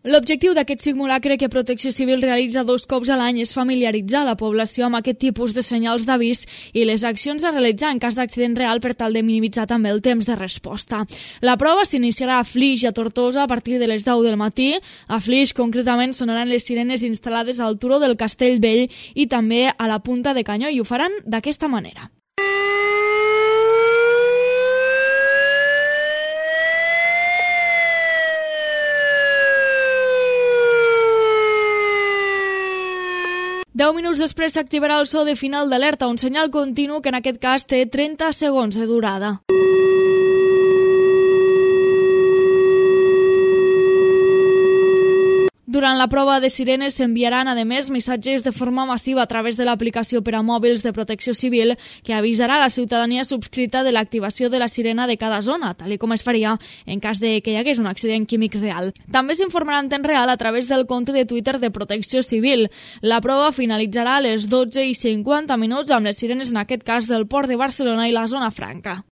L'objectiu d'aquest simulacre que Protecció Civil realitza 2 cops a l'any és familiaritzar la població amb aquest tipus de senyals d'avís i les accions a realitzar en cas d'accident real per tal de minimitzar també el temps de resposta. La prova s'iniciarà a Flix i a Tortosa a partir de les 10 del matí. A Flix, concretament, sonaran les sirenes instal·lades al turó del Castellvell i també a la Punta de Canyó, i ho faran d'aquesta manera. Deu minuts després s'activarà el so de final d'alerta, un senyal continu que en aquest cas té 30 segons de durada. Durant la prova de sirenes s'enviaran, a més, missatges de forma massiva a través de l'aplicació per a mòbils de Protecció Civil que avisarà la ciutadania subscrita de l'activació de la sirena de cada zona, tal com es faria en cas de que hi hagués un accident químic real. També s'informarà en temps real a través del compte de Twitter de Protecció Civil. La prova finalitzarà a les 12:50 amb les sirenes, en aquest cas, del Port de Barcelona i la Zona Franca.